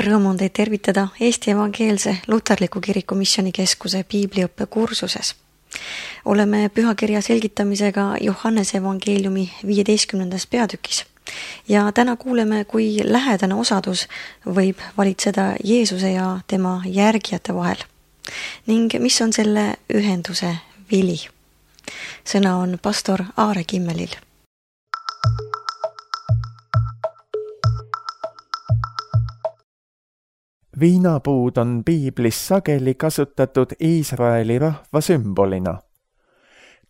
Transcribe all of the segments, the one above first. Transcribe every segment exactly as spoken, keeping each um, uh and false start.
Rõõm on teid tervitada Eesti Evangeelse Luterliku Kiriku Missioonikeskuse piibliõppe kursuses. Oleme pühakirja selgitamisega Johannese evangeeliumi viieteistkümnendas peatükis ja täna kuuleme, kui lähedane osadus võib valitseda Jeesuse ja tema järgijate vahel ning mis on selle ühenduse vili. Sõna on pastor Aare Kimmelil. Viinapuud on piiblis sageli kasutatud Iisraeli rahva sümbolina.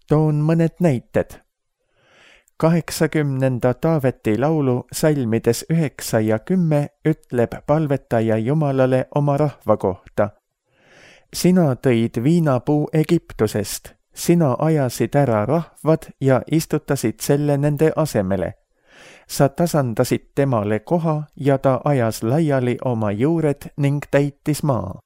Toon mõned näited. Kaheksakümnenda Taaveti laulu salmides üheksa ja kümme ütleb palvetaja Jumalale oma rahva kohta. Sina tõid viinapuu Egiptusest, sina ajasid ära rahvad ja istutasid selle nende asemele. Sa tasandasid temale koha ja ta ajas laiali oma juured ning täitis maa.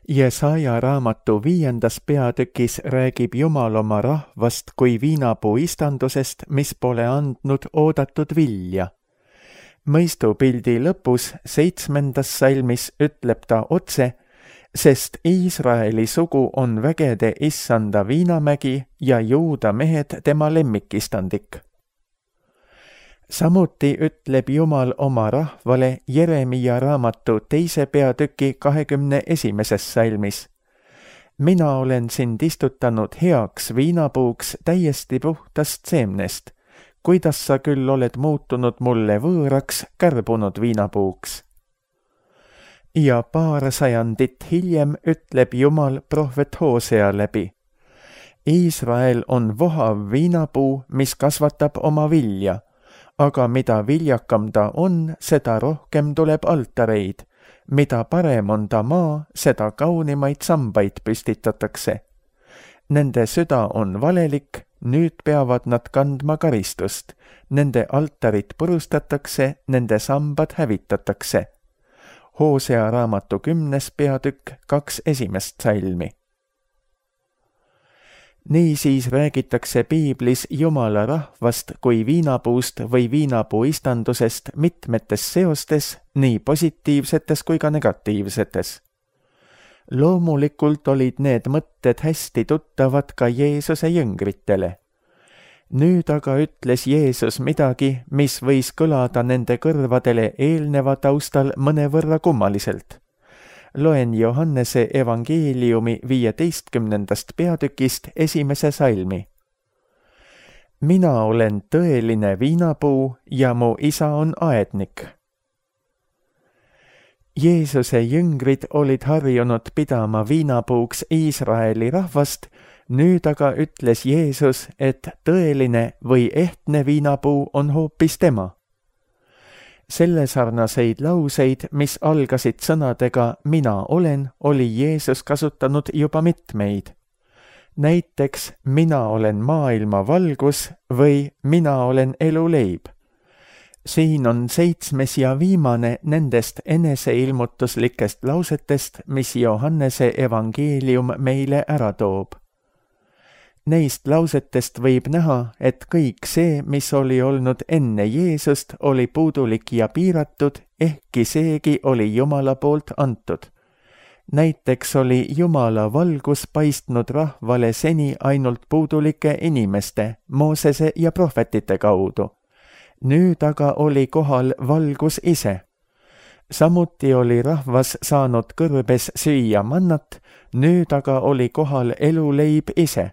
Jesaja raamatu viiendas peatükis räägib Jumal oma rahvast kui viinapuu istandusest, mis pole andnud oodatud vilja. Mõistupildi lõpus seitsmendas salmis ütleb ta otse, sest Iisraeli sugu on vägede issanda viinamägi ja Juuda mehed tema lemmikistandik. Samuti ütleb Jumal oma rahvale Jeremia raamatu teise peatüki kahekümne esimeses salmis. Mina olen sind istutanud heaks viinapuuks täiesti puhtast seemnest, kuidas sa küll oled muutunud mulle võõraks kärbunud viinapuuks. Ja paar sajandit hiljem ütleb Jumal prohvet Hosea läbi. Iisrael on vohav viinapuu, mis kasvatab oma vilja. Aga mida viljakam ta on, seda rohkem tuleb altareid. Mida parem on ta maa, seda kaunimaid sambaid püstitatakse. Nende süda on valelik, nüüd peavad nad kandma karistust. Nende altarid purustatakse, nende sambad hävitatakse. Hosea raamatu kümnes peatükk, kaks esimest salmi. Niisiis räägitakse piiblis Jumala rahvast kui viinapuust või viinapuu istandusest mitmetes seostes, nii positiivsetes kui ka negatiivsetes. Loomulikult olid need mõtted hästi tuttavad ka Jeesuse jüngritele. Nüüd aga ütles Jeesus midagi, mis võis kõlada nende kõrvadele eelneva taustal mõnevõrra kummaliselt. Loen Johannese evangeeliumi viieteistkümnendast peatükist esimese salmi. Mina olen tõeline viinapuu ja mu isa on aednik. Jeesuse jüngrid olid harjunud pidama viinapuuks Iisraeli rahvast, nüüd aga ütles Jeesus, et tõeline või ehtne viinapuu on hoopis tema. Selle sarnaseid lauseid, mis algasid sõnadega mina olen, oli Jeesus kasutanud juba mitmeid. Näiteks mina olen maailma valgus või mina olen eluleib. Siin on seitsmes ja viimane nendest eneseilmutuslikest lausetest, mis Johannese evangeelium meile ära toob. Neist lausetest võib näha, et kõik see, mis oli olnud enne Jeesust, oli puudulik ja piiratud, ehkki seegi oli Jumala poolt antud. Näiteks oli Jumala valgus paistnud rahvale seni ainult puudulike inimeste, Moosese ja prohvetite kaudu. Nüüd aga oli kohal valgus ise. Samuti oli rahvas saanud kõrbes süüa mannat, nüüd aga oli kohal eluleib ise.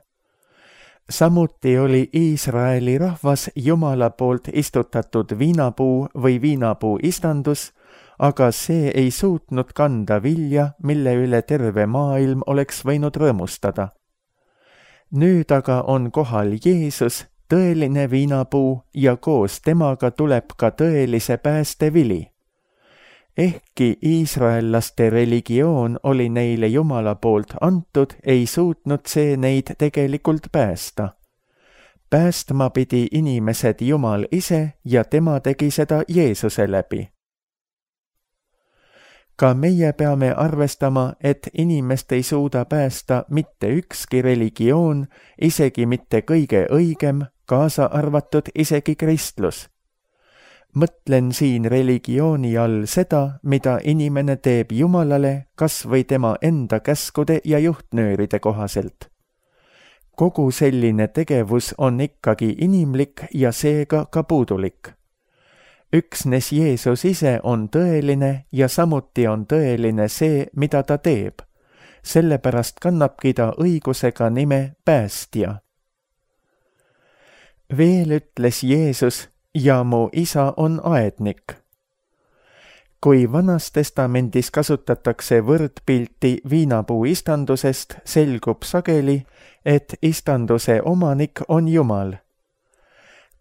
Samuti oli Iisraeli rahvas Jumala poolt istutatud viinapuu või viinapuu istandus, aga see ei suutnud kanda vilja, mille üle terve maailm oleks võinud rõõmustada. Nüüd aga on kohal Jeesus, tõeline viinapuu ja koos temaga tuleb ka tõelise pääste vili. Ehkki iisraellaste religioon oli neile Jumala poolt antud, ei suutnud see neid tegelikult päästa. Päästma pidi inimesed Jumal ise ja tema tegi seda Jeesuse läbi. Ka meie peame arvestama, et inimest ei suuda päästa mitte ükski religioon, isegi mitte kõige õigem, kaasa arvatud isegi kristlus. Mõtlen siin religiooni all seda, mida inimene teeb Jumalale kas või tema enda käskude ja juhtnööride kohaselt. Kogu selline tegevus on ikkagi inimlik ja seega ka puudulik. Üksnes Jeesus ise on tõeline ja samuti on tõeline see, mida ta teeb. Sellepärast kannabki ta õigusega nime päästja. Veel ütles Jeesus, ja mu isa on aednik. Kui Vanas Testamendis kasutatakse võrdpilti viinapuu istandusest, selgub sageli, et istanduse omanik on Jumal.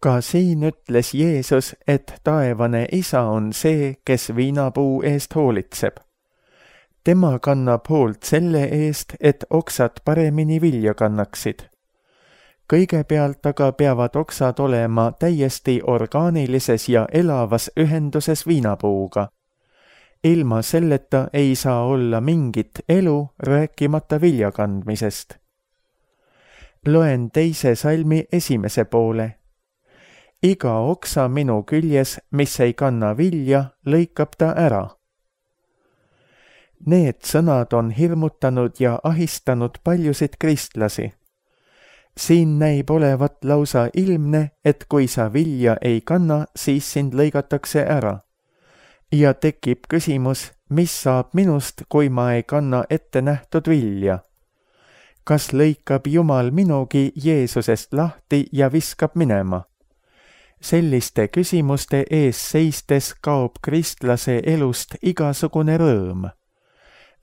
Ka siin ütles Jeesus, et taevane isa on see, kes viinapuu eest hoolitseb. Tema kannab hoolt selle eest, et oksad paremini vilja kannaksid. Kõigepealt aga peavad oksad olema täiesti orgaanilises ja elavas ühenduses viinapuuga. Ilma selleta ei saa olla mingit elu, rääkimata vilja kandmisest. Loen teise salmi esimese poole. Iga oksa minu küljes, mis ei kanna vilja, lõikab ta ära. Need sõnad on hirmutanud ja ahistanud paljusid kristlasi. Siin näib olevat lausa ilmne, et kui sa vilja ei kanna, siis sind lõigatakse ära. Ja tekib küsimus, mis saab minust, kui ma ei kanna ette nähtud vilja? Kas lõikab Jumal minugi Jeesusest lahti ja viskab minema? Selliste küsimuste ees seistes kaob kristlase elust igasugune rõõm.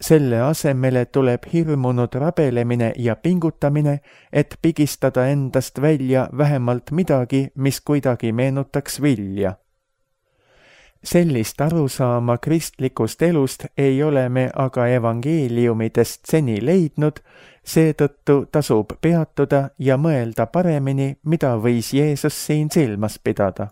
Selle asemele tuleb hirmunud rabelemine ja pingutamine, et pigistada endast välja vähemalt midagi, mis kuidagi meenutaks vilja. Sellist arusaama kristlikust elust ei ole me aga evangeeliumidest seni leidnud, seetõttu tasub peatuda ja mõelda paremini, mida võis Jeesus siin silmas pidada.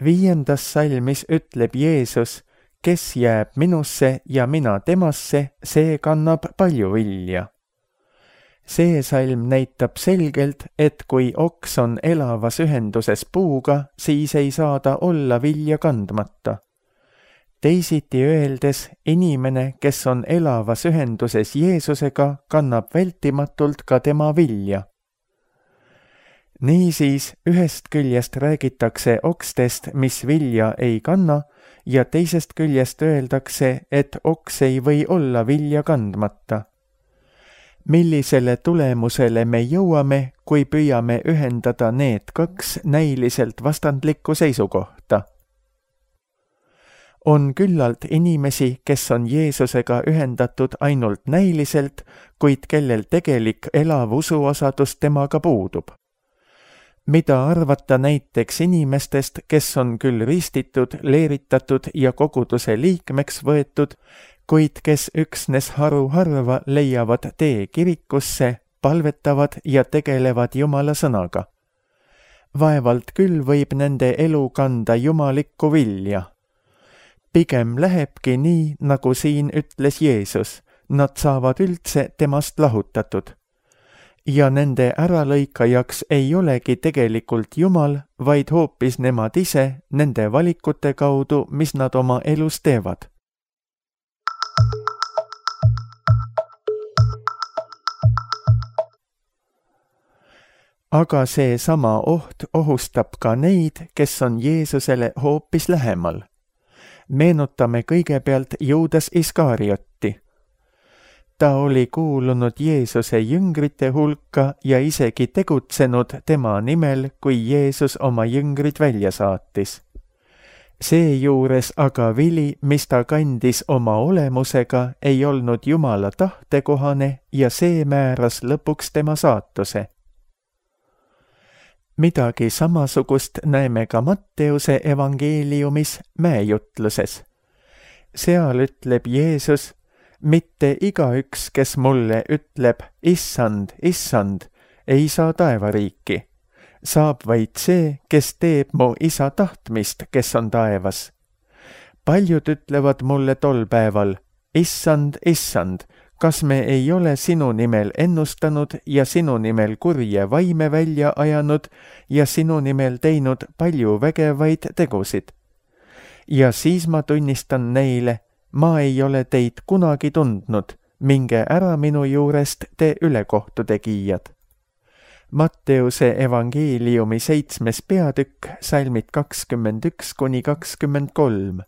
Viiendas salmis ütleb Jeesus, kes jääb minusse ja mina temasse, see kannab palju vilja. See salm näitab selgelt, et kui oks on elavas ühenduses puuga, siis ei saa ta olla vilja kandmata. Teisiti öeldes, inimene, kes on elavas ühenduses Jeesusega, kannab vältimatult ka tema vilja. Niisiis, ühest küljest räägitakse okstest, mis vilja ei kanna, ja teisest küljest öeldakse, et oks ei või olla vilja kandmata. Millisele tulemusele me jõuame, kui püüame ühendada need kaks näiliselt vastandlikku seisukohta? On küllalt inimesi, kes on Jeesusega ühendatud ainult näiliselt, kuid kellel tegelik elav usuosadus temaga puudub. Mida arvata näiteks inimestest, kes on küll ristitud, leeritatud ja koguduse liikmeks võetud, kuid kes üksnes haruharva leiavad tee kirikusse, palvetavad ja tegelevad Jumala sõnaga. Vaevalt küll võib nende elu kanda jumalikku vilja. Pigem lähebki nii, nagu siin ütles Jeesus, nad saavad üldse temast lahutatud. Ja nende äralõikajaks ei olegi tegelikult Jumal, vaid hoopis nemad ise nende valikute kaudu, mis nad oma elus teevad. Aga see sama oht ohustab ka neid, kes on Jeesusele hoopis lähemal. Meenutame kõigepealt Juudas Iskariotti. Ta oli kuulunud Jeesuse jüngrite hulka ja isegi tegutsenud tema nimel, kui Jeesus oma jüngrid välja saatis. Seejuures aga vili, mis ta kandis oma olemusega, ei olnud Jumala tahtekohane ja see määras lõpuks tema saatuse. Midagi samasugust näeme ka Matteuse evangeeliumis mäejutluses. Seal ütleb Jeesus, mitte igaüks, kes mulle ütleb, issand, issand, ei saa taevariiki. Saab vaid see, kes teeb mu isa tahtmist, kes on taevas. Paljud ütlevad mulle tol päeval, issand, issand, kas me ei ole sinu nimel ennustanud ja sinu nimel kurje vaime välja ajanud ja sinu nimel teinud palju vägevaid tegusid? Ja siis ma tunnistan neile, ma ei ole teid kunagi tundnud, minge ära minu juurest, te ülekohtutegijad. Matteuse evangeeliumi seitsmes peatükk, salmid kakskümmend üks kuni kakskümmend kolm.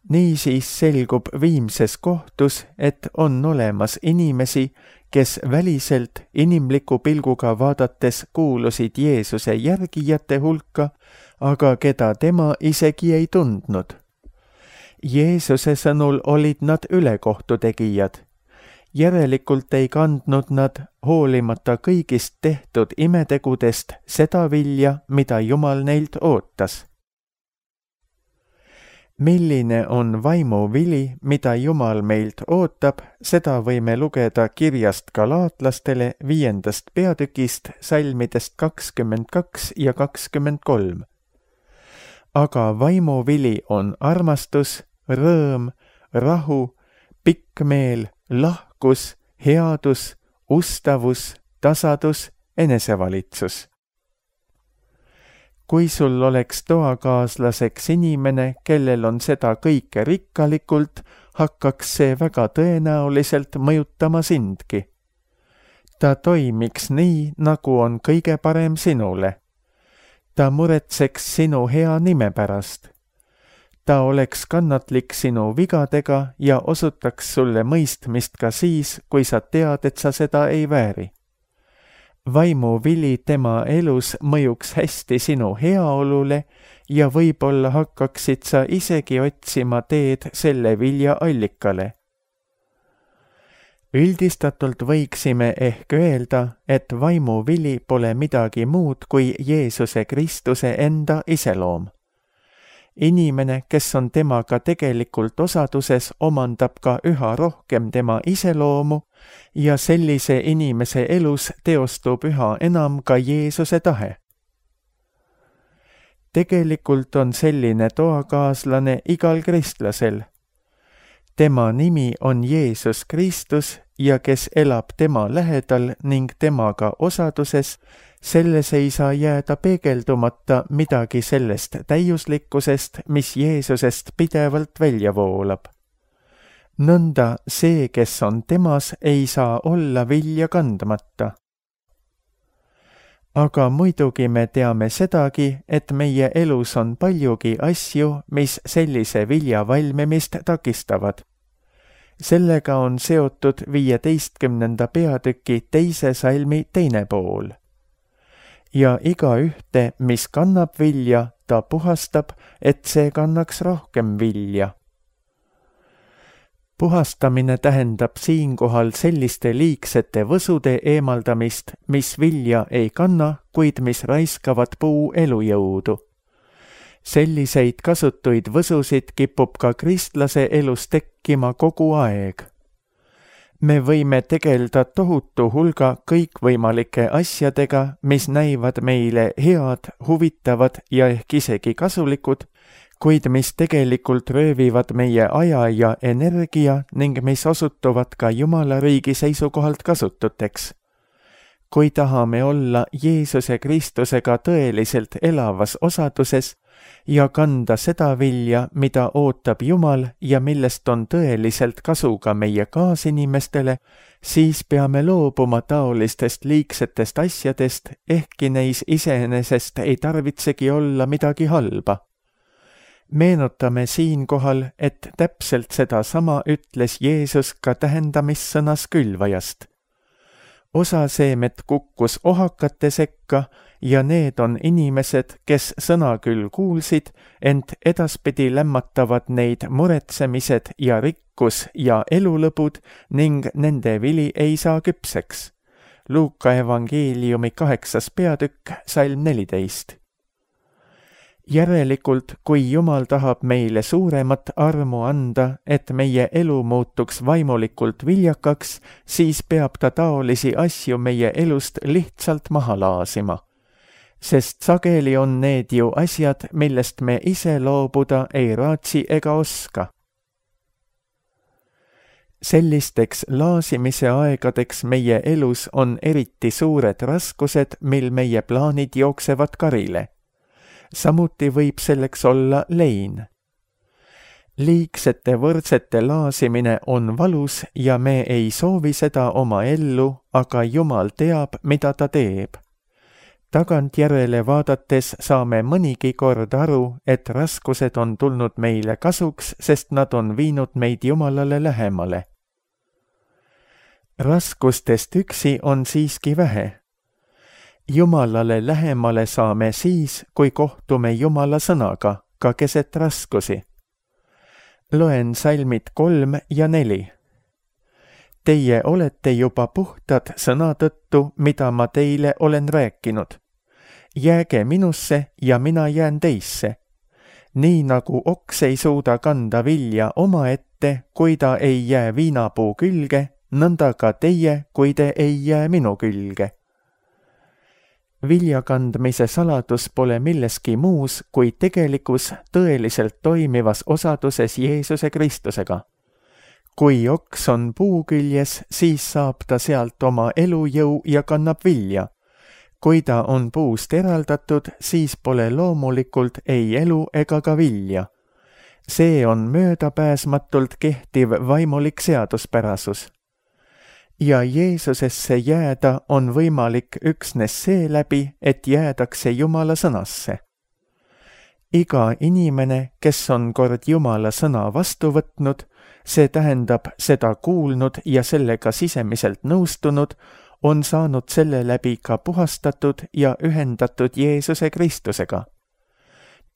Niisiis selgub viimses kohtus, et on olemas inimesi, kes väliselt inimliku pilguga vaadates kuulusid Jeesuse järgijate hulka, aga keda tema isegi ei tundnud. Jeesuse sõnul olid nad ülekohtutegijad. Järelikult ei kandnud nad, hoolimata kõigist tehtud imetegudest, seda vilja, mida Jumal neilt ootas. Milline on vaimuvili, mida Jumal meilt ootab, seda võime lugeda kirjast Galaatlastele viiendast peatükist, salmidest kakskümmend kaks ja kakskümmend kolm. Aga vaimuvili on armastus, rõõm, rahu, pikkmeel, lahkus, headus, ustavus, tasadus, enesevalitsus. Kui sul oleks toakaaslaseks inimene, kellel on seda kõike rikkalikult, hakkaks see väga tõenäoliselt mõjutama sindki. Ta toimiks nii, nagu on kõige parem sinule. Ta muretseks sinu hea nime pärast. Ta oleks kannatlik sinu vigadega ja osutaks sulle mõistmist ka siis, kui sa tead, et sa seda ei vääri. Vaimuvili tema elus mõjuks hästi sinu heaolule ja võib-olla hakkaksid sa isegi otsima teed selle vilja allikale. Üldistatult võiksime ehk öelda, et vaimuvili pole midagi muud kui Jeesuse Kristuse enda iseloom. Inimene, kes on temaga tegelikult osaduses, omandab ka üha rohkem tema iseloomu ja sellise inimese elus teostub üha enam ka Jeesuse tahe. Tegelikult on selline toakaaslane igal kristlasel. Tema nimi on Jeesus Kristus ja kes elab tema lähedal ning temaga osaduses, selles ei saa jääda peegeldumata midagi sellest täiuslikkusest, mis Jeesusest pidevalt välja voolab. Nõnda see, kes on temas, ei saa olla vilja kandmata. Aga muidugi me teame sedagi, et meie elus on paljugi asju, mis sellise vilja valmimist takistavad. Sellega on seotud viieteistkümnenda peatüki teise salmi teine pool. Ja iga ühte, mis kannab vilja, ta puhastab, et see kannaks rohkem vilja. Puhastamine tähendab siinkohal selliste liigsete võsude eemaldamist, mis vilja ei kanna, kuid mis raiskavad puu elujõudu. Selliseid kasutuid võsusid kipub ka kristlase elus tekkima kogu aeg. Me võime tegelda tohutu hulga kõikvõimalike asjadega, mis näivad meile head, huvitavad ja ehk isegi kasulikud, kuid mis tegelikult röövivad meie aja ja energia ning mis osutuvad ka Jumala riigi seisukohalt kasututeks. Kui tahame olla Jeesuse Kristusega tõeliselt elavas osaduses ja kanda seda vilja, mida ootab Jumal ja millest on tõeliselt kasu ka meie kaasinimestele, siis peame loobuma taolistest liigsetest asjadest, ehkki neis iseenesest ei tarvitsegi olla midagi halba. Meenutame siinkohal, et täpselt sedasama ütles Jeesus ka tähendamissõnas külvajast. Osa seemet kukkus ohakate sekka ja need on inimesed, kes sõna küll kuulsid, ent edaspidi lämmatavad neid muretsemised ja rikkus ja elulõbud ning nende vili ei saa küpseks. Luuka evangeeliumi kaheksas peatükk, salm neliteist. Järelikult, kui Jumal tahab meile suuremat armu anda, et meie elu muutuks vaimulikult viljakaks, siis peab ta taolisi asju meie elust lihtsalt maha laasima. Sest sageli on need ju asjad, millest me ise loobuda ei raatsi ega oska. Sellisteks laasimise aegadeks meie elus on eriti suured raskused, mil meie plaanid jooksevad karile. Samuti võib selleks olla lein. Liigsete võrdsete laasimine on valus ja me ei soovi seda oma ellu, aga Jumal teab, mida ta teeb. Tagantjärele vaadates saame mõnigi kord aru, et raskused on tulnud meile kasuks, sest nad on viinud meid Jumalale lähemale. Raskustest üksi on siiski vähe. Jumalale lähemale saame siis, kui kohtume Jumala sõnaga, ka keset raskusi. Loen salmid kolm ja neli. Teie olete juba puhtad sõna tõttu, mida ma teile olen rääkinud. Jääge minusse ja mina jään teisse. Nii nagu oks ei suuda kanda vilja omaette, kui ta ei jää viinapuu külge, nõnda ka teie, kui te ei jää minu külge. Viljakandmise saladus pole milleski muus kui tegelikus tõeliselt toimivas osaduses Jeesuse Kristusega. Kui oks on puu küljes, siis saab ta sealt oma elujõu ja kannab vilja. Kui ta on puust eraldatud, siis pole loomulikult ei elu ega ka vilja. See on möödapääsmatult kehtiv vaimulik seaduspärasus. Ja Jeesusesse jääda on võimalik üksnes seeläbi, et jäädakse Jumala sõnasse. Iga inimene, kes on kord Jumala sõna vastu võtnud, see tähendab seda kuulnud ja sellega sisemiselt nõustunud, on saanud selle läbi ka puhastatud ja ühendatud Jeesuse Kristusega.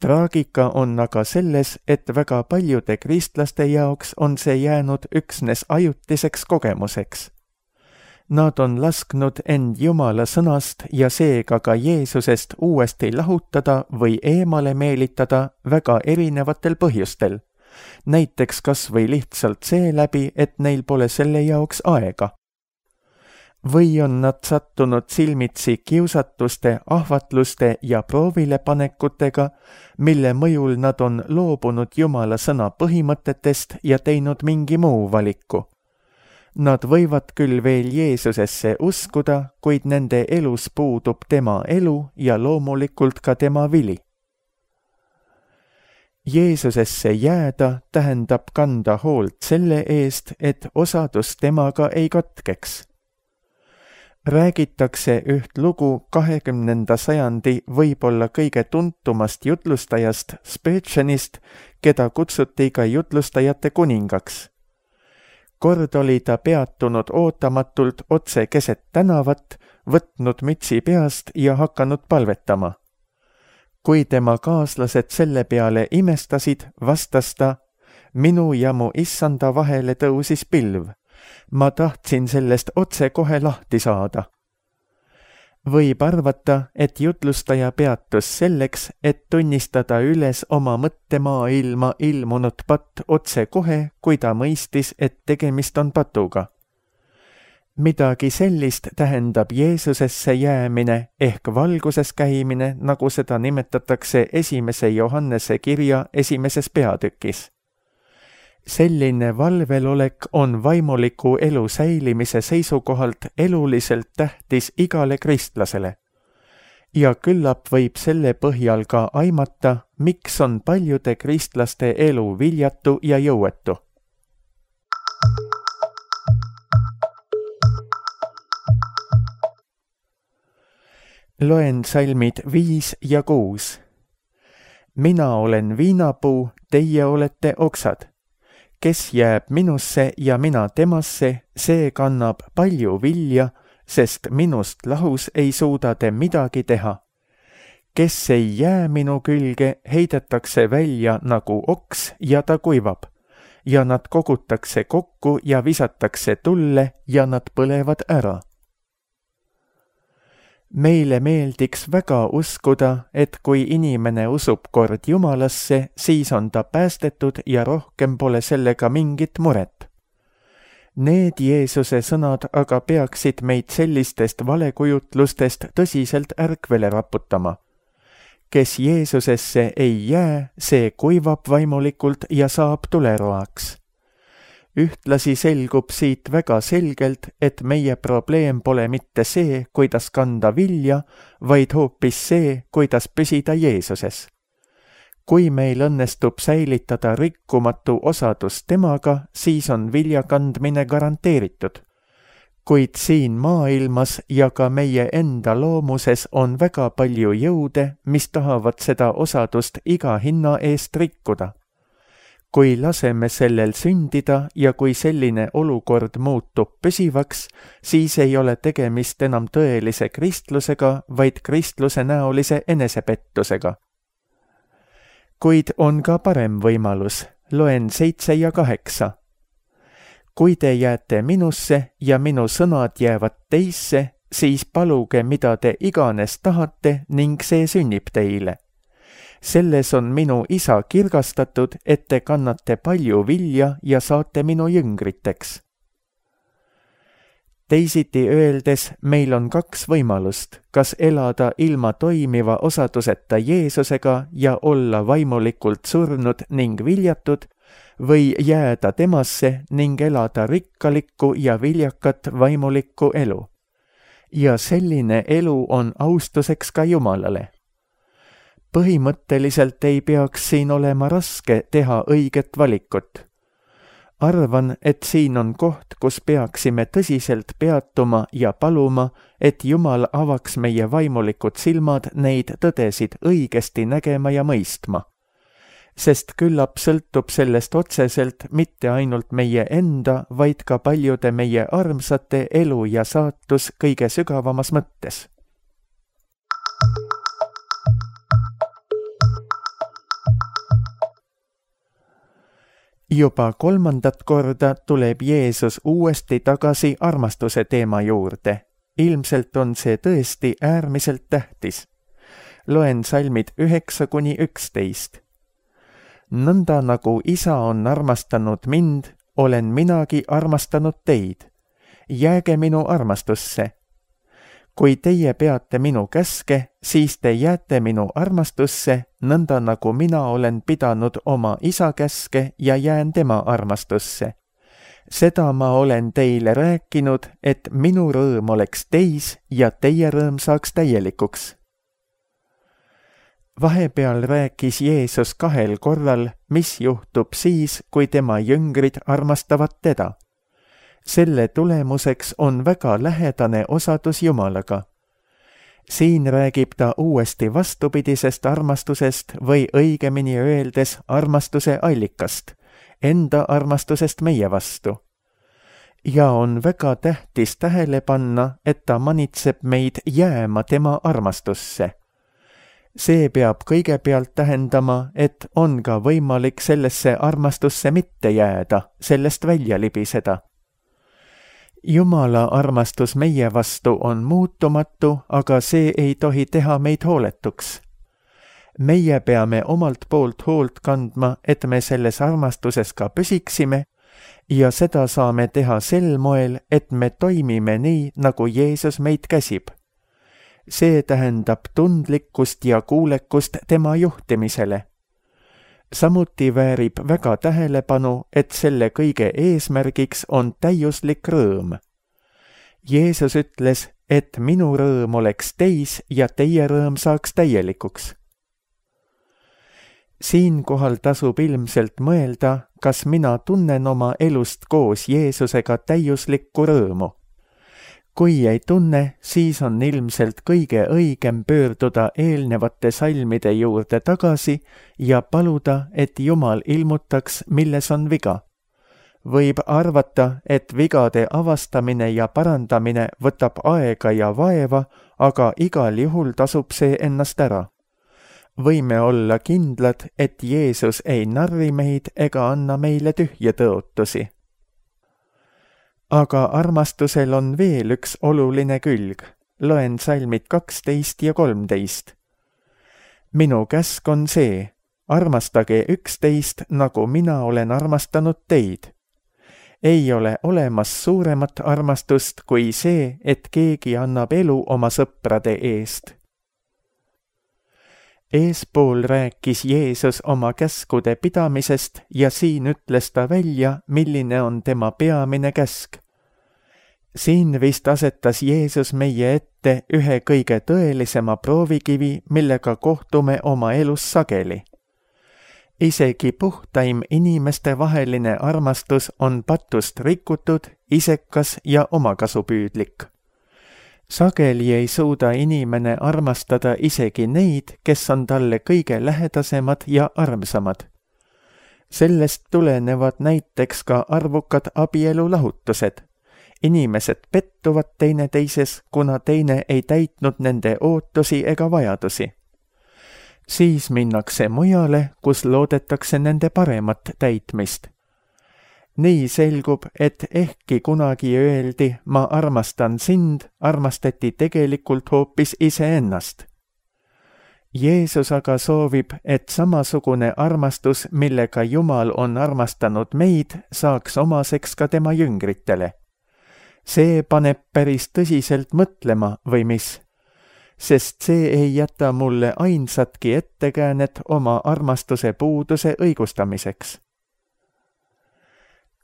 Traagika on aga selles, et väga paljude kristlaste jaoks on see jäänud üksnes ajutiseks kogemuseks. Nad on lasknud end Jumala sõnast ja seega ka Jeesusest uuesti lahutada või eemale meelitada väga erinevatel põhjustel. Näiteks kas või lihtsalt seeläbi, et neil pole selle jaoks aega. Või on nad sattunud silmitsi kiusatuste, ahvatluste ja proovilepanekutega, mille mõjul nad on loobunud Jumala sõna põhimõtetest ja teinud mingi muu valiku. Nad võivad küll veel Jeesusesse uskuda, kuid nende elus puudub tema elu ja loomulikult ka tema vili. Jeesusesse jääda tähendab kanda hoolt selle eest, et osadus temaga ei katkeks. Räägitakse üht lugu kahekümnenda sajandi võib-olla kõige tuntumast jutlustajast Spurgeonist, keda kutsuti ka jutlustajate kuningaks. Kord oli ta peatunud ootamatult otse keset tänavat, võtnud mütsi peast ja hakanud palvetama. Kui tema kaaslased selle peale imestasid, vastas ta, minu ja mu issanda vahele tõusis pilv. Ma tahtsin sellest otse kohe lahti saada. Võib arvata, et jutlustaja peatus selleks, et tunnistada üles oma mõttemaailma ilmunud patt otse kohe, kui ta mõistis, et tegemist on patuga. Midagi sellist tähendab Jeesusesse jäämine ehk valguses käimine, nagu seda nimetatakse esimese Johannese kirja esimeses peatükis. Selline valvelolek on vaimuliku elu säilimise seisukohalt eluliselt tähtis igale kristlasele. Ja küllap võib selle põhjal ka aimata, miks on paljude kristlaste elu viljatu ja jõuetu. Loen salmid viis ja kuus. Mina olen viinapuu, teie olete oksad. Kes jääb minusse ja mina temasse, see kannab palju vilja, sest minust lahus ei suuda te midagi teha. Kes ei jää minu külge, heidetakse välja nagu oks ja ta kuivab, ja nad kogutakse kokku ja visatakse tulle ja nad põlevad ära. Meile meeldiks väga uskuda, et kui inimene usub kord Jumalasse, siis on ta päästetud ja rohkem pole sellega mingit muret. Need Jeesuse sõnad aga peaksid meid sellistest valekujutlustest tõsiselt ärkvele raputama. Kes Jeesusesse ei jää, see kuivab vaimulikult ja saab tuleroaks. Ühtlasi selgub siit väga selgelt, et meie probleem pole mitte see, kuidas kanda vilja, vaid hoopis see, kuidas püsida Jeesuses. Kui meil õnnestub säilitada rikkumatu osadus temaga, siis on vilja kandmine garanteeritud. Kuid siin maailmas ja ka meie enda loomuses on väga palju jõude, mis tahavad seda osadust iga hinna eest rikkuda. Kui laseme sellel sündida ja kui selline olukord muutub püsivaks, siis ei ole tegemist enam tõelise kristlusega, vaid kristluse näolise enesepettusega. Kuid on ka parem võimalus, loen seitse ja kaheksa. Kui te jääte minusse ja minu sõnad jäävad teisse, siis paluge, mida te iganes tahate ning see sünnib teile. Selles on minu isa kirgastatud, et te kannate palju vilja ja saate minu jüngriteks. Teisiti öeldes, meil on kaks võimalust, kas elada ilma toimiva osaduseta Jeesusega ja olla vaimulikult surnud ning viljatud, või jääda temasse ning elada rikkalikku ja viljakat vaimulikku elu. Ja selline elu on austuseks ka Jumalale. Põhimõtteliselt ei peaks siin olema raske teha õiget valikut. Arvan, et siin on koht, kus peaksime tõsiselt peatuma ja paluma, et Jumal avaks meie vaimulikud silmad neid tõdesid õigesti nägema ja mõistma. Sest küllap sõltub sellest otseselt mitte ainult meie enda, vaid ka paljude meie armsate elu ja saatus kõige sügavamas mõttes. Juba kolmandat korda tuleb Jeesus uuesti tagasi armastuse teema juurde. Ilmselt on see tõesti äärmiselt tähtis. Loen salmid üheksa kuni üksteist. Nõnda nagu isa on armastanud mind, olen minagi armastanud teid. Jääge minu armastusse. Kui teie peate minu käske, siis te jääte minu armastusse, nõnda nagu mina olen pidanud oma isa käske ja jään tema armastusse. Seda ma olen teile rääkinud, et minu rõõm oleks teis ja teie rõõm saaks täielikuks. Vahepeal rääkis Jeesus kahel korral, mis juhtub siis, kui tema jüngrid armastavad teda. Selle tulemuseks on väga lähedane osadus Jumalaga. Siin räägib ta uuesti vastupidisest armastusest või õigemini öeldes armastuse allikast, enda armastusest meie vastu. Ja on väga tähtis tähele panna, et ta manitseb meid jääma tema armastusse. See peab kõigepealt tähendama, et on ka võimalik sellesse armastusse mitte jääda, sellest välja libiseda. Jumala armastus meie vastu on muutumatu, aga see ei tohi teha meid hooletuks. Meie peame omalt poolt hoolt kandma, et me selles armastuses ka püsiksime ja seda saame teha sel moel, et me toimime nii, nagu Jeesus meid käsib. See tähendab tundlikkust ja kuulekust tema juhtimisele. Samuti väärib väga tähelepanu, et selle kõige eesmärgiks on täiuslik rõõm. Jeesus ütles, et minu rõõm oleks teis ja teie rõõm saaks täielikuks. Siinkohal tasub ilmselt mõelda, kas mina tunnen oma elust koos Jeesusega täiuslikku rõõmu. Kui ei tunne, siis on ilmselt kõige õigem pöörduda eelnevate salmide juurde tagasi ja paluda, et Jumal ilmutaks, milles on viga. Võib arvata, et vigade avastamine ja parandamine võtab aega ja vaeva, aga igal juhul tasub see ennast ära. Võime olla kindlad, et Jeesus ei narri meid ega anna meile tühje tõotusi. Aga armastusel on veel üks oluline külg. Loen salmid kaksteist ja kolmteist. Minu käsk on see, armastage üksteist, nagu mina olen armastanud teid. Ei ole olemas suuremat armastust kui see, et keegi annab elu oma sõprade eest. Eespool rääkis Jeesus oma käskude pidamisest ja siin ütles ta välja, milline on tema peamine käsk. Siin vist asetas Jeesus meie ette ühe kõige tõelisema proovikivi, millega kohtume oma elus sageli. Isegi puhtaim inimeste vaheline armastus on patust rikutud, isekas ja omakasupüüdlik. Sageli ei suuda inimene armastada isegi neid, kes on talle kõige lähedasemad ja armsamad. Sellest tulenevad näiteks ka arvukad abielulahutused. Inimesed pettuvad teineteises, kuna teine ei täitnud nende ootusi ega vajadusi. Siis minnakse mujale, kus loodetakse nende paremat täitmist. Nii selgub, et ehkki kunagi öeldi, ma armastan sind, armastati tegelikult hoopis iseennast. Jeesus aga soovib, et samasugune armastus, millega Jumal on armastanud meid, saaks omaseks ka tema jüngritele. See paneb päris tõsiselt mõtlema või mis, sest see ei jäta mulle ainsatki ettekäänet oma armastuse puuduse õigustamiseks.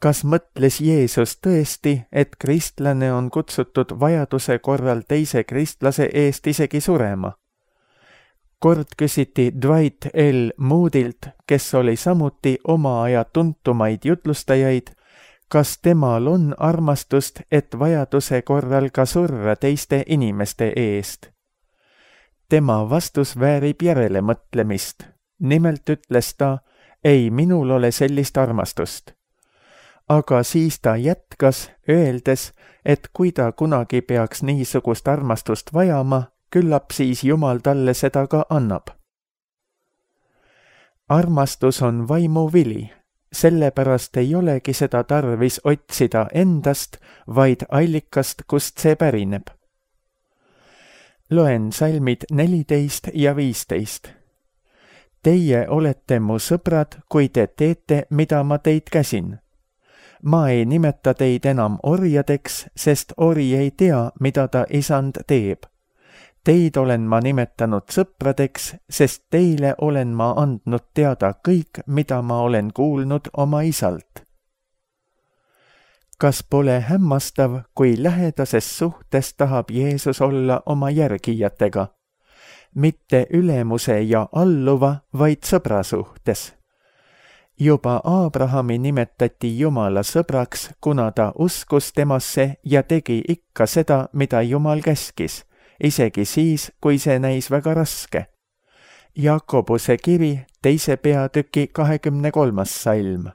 Kas mõtles Jeesus tõesti, et kristlane on kutsutud vajaduse korral teise kristlase eest isegi surema? Kord küsiti Dwight L. Moodilt, kes oli samuti oma aja tuntumaid jutlustajaid, kas temal on armastust, et vajaduse korral ka surra teiste inimeste eest. Tema vastus väärib järele mõtlemist. Nimelt ütles ta, ei minul ole sellist armastust. Aga siis ta jätkas, öeldes, et kui ta kunagi peaks niisugust armastust vajama, küllap siis Jumal talle seda ka annab. Armastus on vaimu vili, sellepärast ei olegi seda tarvis otsida endast, vaid allikast, kust see pärineb. Loen salmid neliteist ja viisteist. Teie olete mu sõbrad, kui te teete, mida ma teid käsin. Ma ei nimeta teid enam orjadeks, sest ori ei tea, mida ta isand teeb. Teid olen ma nimetanud sõpradeks, sest teile olen ma andnud teada kõik, mida ma olen kuulnud oma isalt. Kas pole hämmastav, kui lähedases suhtes tahab Jeesus olla oma järgijatega? Mitte ülemuse ja alluva, vaid sõbra suhtes. Juba Abrahami nimetati Jumala sõbraks, kuna ta uskus temasse ja tegi ikka seda, mida Jumal käskis, isegi siis, kui see näis väga raske. Jakobuse kiri, teise peatüki kahekümne kolmas salm.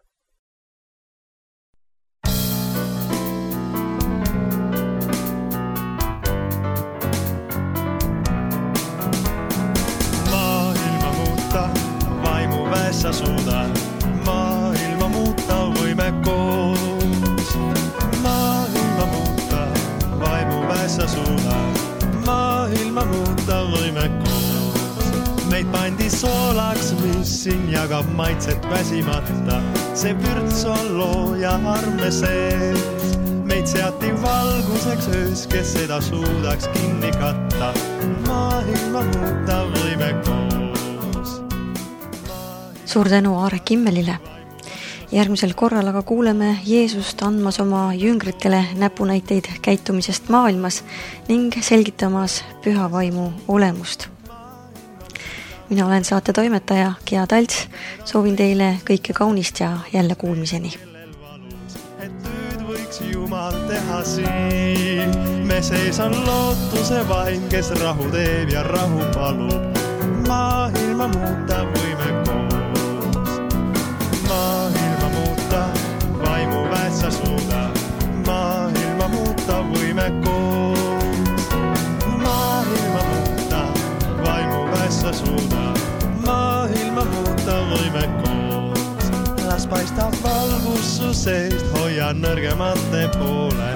Maailma muuta, vaimu väessa suudan. Maailma muuta võime koos. Maailma muuta, vaimu väessa suudan. Maailma muuta võime koos. Meid pandi soolaks, mis siin jagab maitset väsimata. See vürts on looja arme sees. Meid seati valguseks öös, kes seda suudaks kinni katta. Maailma muuta võime koos. Suur tänu Aare Kimmelile. Järgmisel korral aga kuuleme Jeesust andmas oma jüngritele näpunäiteid käitumisest maailmas ning selgitamas püha vaimu olemust. Mina olen saate toimetaja Gea Talts, soovin teile kõike kaunist ja jälle kuulmiseni. Et tööd võiks Jumal teha siin. Me sees on lootuse vaim, kes rahu teeb ja rahu palub. Maailma muuta võime koos. Maailma muuta, vaimu väessa suuda. Maailma muuta võime koos. Maailma muuta, vaimu väessa suuda. Maailma muuta võime koos. Las paistab valgus su seest, hoia nõrgemate poole.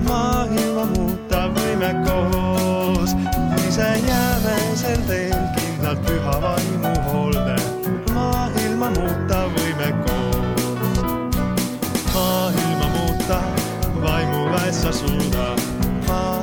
Maailma muuta võime koos. Ise jääme sel teel kindlalt püha vaimu hoolde. Maailma muuta võime koos. Maailma muuta, vaimu väessa suuda. Maailma